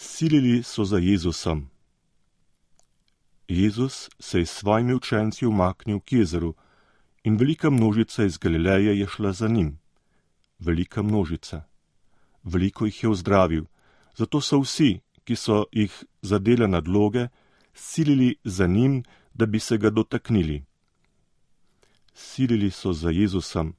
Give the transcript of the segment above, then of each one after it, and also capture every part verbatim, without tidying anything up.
Silili so za Jezusom. Jezus se je s svojimi učenci umaknil k jezeru in velika množica iz Galileje je šla za njim. Velika množica. Veliko jih je ozdravil, zato so vsi, ki so jih zadele nadloge, silili za njim, da bi se ga dotaknili. Silili so za Jezusom.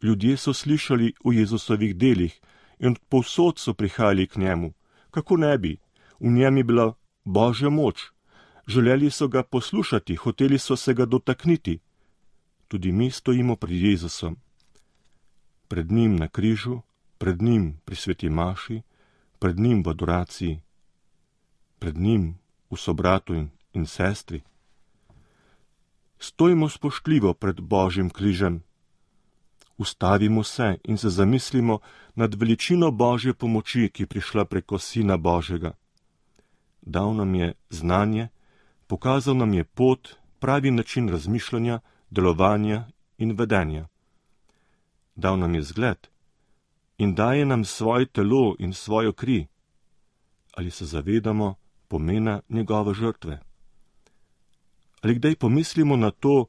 Ljudje so slišali o Jezusovih delih in povsod so prihajali k njemu. Kako ne bi? V njem je bila Božja moč. Želeli so ga poslušati, hoteli so se ga dotakniti. Tudi mi stojimo pred Jezusom. Pred njim na križu, pred njim pri sveti maši, pred njim v adoraciji, pred njim v sobratu in, in sestri. Stojimo spoštljivo pred Božjim križem. Ustavimo se in se zamislimo nad veličino Božje pomoči, ki je prišla preko Sina Božjega. Dal nam je znanje, pokazal nam je pot, pravi način razmišljanja, delovanja in vedenja. Dal nam je zgled in daje nam svoje telo in svojo kri. Ali se zavedamo pomena njegove žrtve? Ali kdaj pomislimo na to,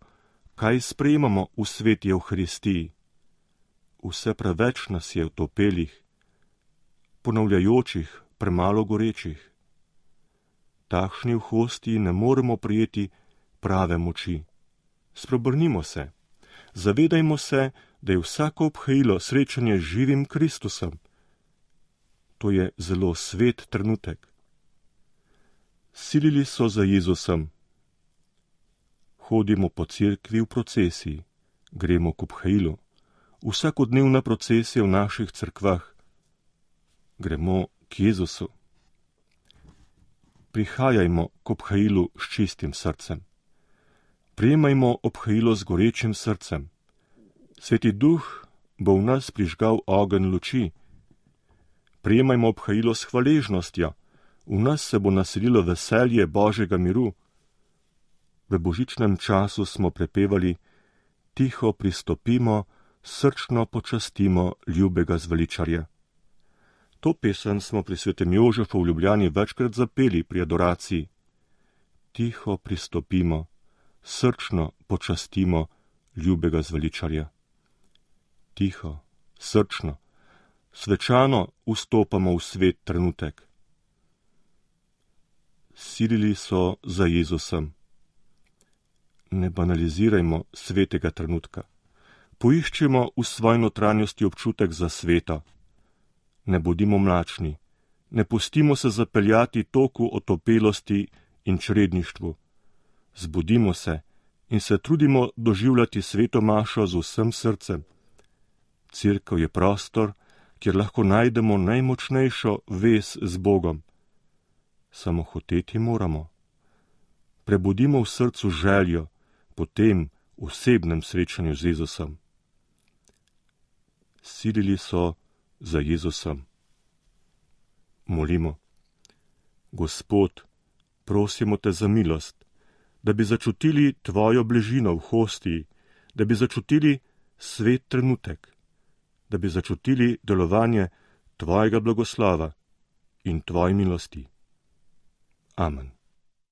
kaj sprejemamo v sveti Evharistiji? Vse preveč nas je utopelih, ponavljajočih, premalo gorečih. Takšni v hostiji ne moremo prijeti prave moči. Spreobrnimo se, zavedajmo se, da je vsako obhajilo srečanje z živim Kristusom. To je zelo svet trenutek. Silili so za Jezusom. Hodimo po cerkvi v procesiji, gremo k obhajilu. Vsakodnevna procesija v naših cerkvah. Gremo k Jezusu. Prihajajmo k obhajilu s čistim srcem. Prijemajmo obhajilo z gorečim srcem. Sveti Duh bo v nas prižgal ogenj luči. Prijemajmo obhajilo s hvaležnostjo. V nas se bo naselilo veselje Božjega miru. V božičnem času smo prepevali: tiho pristopimo, srčno počastimo ljubega zveličarja. To pesem smo pri svetem Jožefu v Ljubljani večkrat zapeli pri adoraciji. Tiho pristopimo, srčno počastimo ljubega zveličarja. Tiho, srčno, svečano vstopamo v svet trenutek. Silili so za Jezusom. Ne banalizirajmo svetega trenutka. Poiščemo v svoji notranjosti občutek za sveto. Ne bodimo mlačni, ne pustimo se zapeljati toku otopelosti in čredništvu. Zbudimo se in se trudimo doživljati sveto mašo z vsem srcem. Cerkev je prostor, kjer lahko najdemo najmočnejšo vez z Bogom. Samo hoteti moramo. Prebudimo v srcu željo po tem osebnem srečanju z Jezusom. Silili so za Jezusom. Molimo. Gospod, prosimo te za milost, da bi začutili tvojo bližino v hostiji, da bi začutili svet trenutek, da bi začutili delovanje tvojega blagoslova in tvoje milosti. Amen.